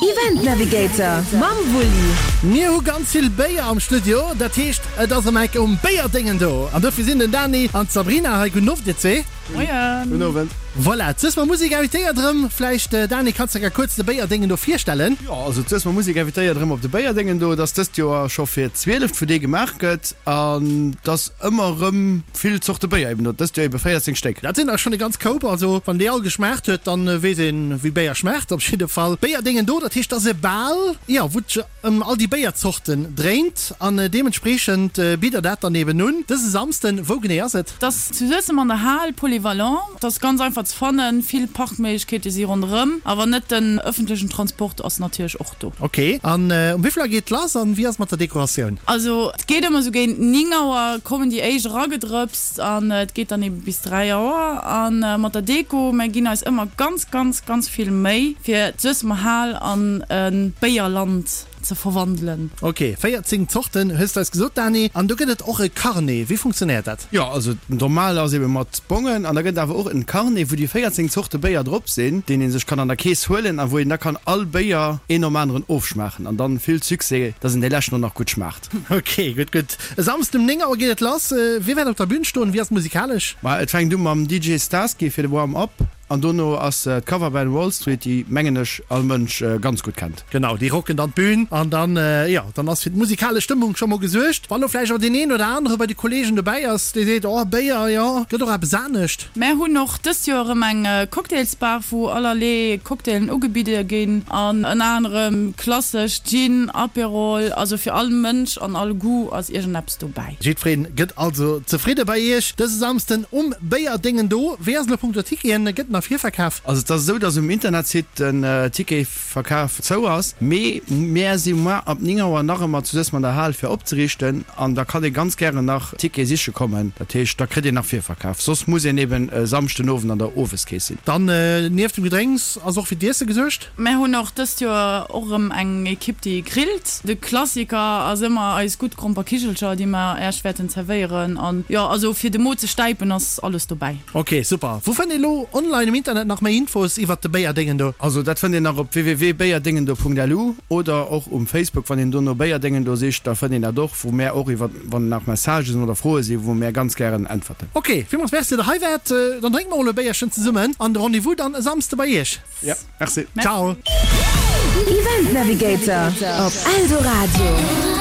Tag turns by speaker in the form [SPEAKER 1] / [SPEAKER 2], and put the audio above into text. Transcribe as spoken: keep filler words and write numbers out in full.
[SPEAKER 1] Event Navigator mam Wulli.
[SPEAKER 2] Mir hu ganz vill Béier am Studio, dat heescht et ass erëm eng Kéier um Béierdéngen do. An dofir sinn den Dani an d'Sabrina hei. Gudden Owend dir zwee.
[SPEAKER 3] Moien.
[SPEAKER 4] Gudden Owend.
[SPEAKER 2] Voilà, d'Suessmer Musek invitéiert erëm. Vläicht Dani, kanns de kuerz de Béierdéngen do virstellen?
[SPEAKER 4] Jo, also d'Suessmer Musek invitéiert erëm op de Béierdéngen do. Et ass dëst Joer scho fir d'zwieleft, wou dee gemaach gëtt an et ass ëmmer erëm vill Zorte Béier eben do. Dëst Joer ebe véierzéng Stéck.
[SPEAKER 2] Dat sinn der schonn e ganz Koup. Also wann déi all geschmaacht huet, dann weess een wéi Béier schmaacht. Op jidde Fall Béierdéngen do, dat heescht, dat ass e Bal, jo, wou et sech ëm all déi Béierzorten dréint an deementspreechend bitt der dat dann eben un. Dëse Samsden, wou genee ass et?
[SPEAKER 3] Et ass zu Suessem an der Hal Polyvalent. Et ass ganz einfach ze fannen, vill Parkméiglechkeete si ronderëm, a wann net, den ëffentlechen Transport ass natierlech och do.
[SPEAKER 2] Ok, an um wéi vill Auer geet lass an wéi ass et mat der Dekoratioun?
[SPEAKER 3] Also et geet ëmmer sou géint néng Auer kommen déi éischt eragedrëpst an et geet dann ebe bis dräi Auer. A mat der Deko, mär ginn eis ëmmer ganz, ganz, ganz vill Méi fir d'Suessemer Hal an e Béierland ze verwandelen.
[SPEAKER 2] Ok, véierzéng Zorten hues de eis gesot, Dani. An do gëtt et och e Carnet. Wéi funktionéiert dat?
[SPEAKER 4] Jo, also normal ass ebe mat Bongen an da gëtt et awer och en Carnet, wou déi véierzéng Zorte Béier drop sinn, deen ee sech kann an der Kees huelen a wou een da kann all Béier een nom aneren ofschmaachen an dann vill Succès, dass en dee leschten och nach gutt schmaacht.
[SPEAKER 2] Ok, gutt, gutt. E Samsden um néng Auer geet et lass. Wie wäert op der Bün stoen? Wie ass musikalesch?
[SPEAKER 4] Ma et fänkt u mam D J Starsky fir de Warm-up. An dono ass d'Coverband Wall Street, déi, mengen ech, all Mënsch ganz gutt kennt.
[SPEAKER 2] Genau, déi rocken dann d'Bün an dann, jo, dann ass fir d'musikalesch Stëmmung scho mol gesuergt. Wann lo vläicht och deen een oder anere bei de Kolleegen dobäi ass, dee seet, Oh, Béier, jo, gëtt och eppes anescht.
[SPEAKER 3] Mär hunn och dëst Joer erëm eng Cocktailsbar, wou allerlee Cocktailen ugebidde ginn an ënner anerem klassesch Gin, Aperol, also fir all Mënsch an all Goût ass iergendeppes dobäi.
[SPEAKER 2] Jiddwereen gëtt also zefridde bei Iech dëse Samsden um Béierdéngen do. Wéi ass elo punkto Ticketen? Gëtt nach Virverkaf?
[SPEAKER 4] Also et ass esou, dass um Internetsite den Ticketverkaf zou ass, mee mär si muer ab néng Auer nach ëmmer zu Suessem an der Hal fir opzeriichten an da kann ee ganz gären nach Tickete siche kommen. Dat heescht, da kritt een nach Virverkaf. Soss muss een eben e Samschden Owend an der Oweskeess sinn.
[SPEAKER 2] Dann nieft dem Gedrénks ass och fir d'Iesse gesuergt?
[SPEAKER 3] Mär hunn och dëst Joer och erëm eng Ekipp déi grillt. De Klassiker ass ëmmer eis gutt Gromperkichelcher, déi mer Äech wäerten zerwéieren. An jo, also fir de Mo ze stäipen ass alles dobäi.
[SPEAKER 2] Ok, super. Wou fënnt een elo online um Internet nach méi Infos iwwert de Béierdéngen do?
[SPEAKER 4] Also dat fënnt een nach op w w w punkt béierdéngen do punkt l u oder och um Facebook, wann een do no Béierdéngen do sicht, da fënnt een dat och, wou mär och iwwer wann nach Messagen oder Froe sinn, wou mär ganz gären äntwerten.
[SPEAKER 2] Ok, villmools Merci, datt der hei waart. Dann drénke mer mol e Béierchen zesummen an de Rendez-vous dann e Samsde bei iech.
[SPEAKER 4] Ja, merci.
[SPEAKER 2] Ciao.
[SPEAKER 1] Event Navigator op Eldoradio.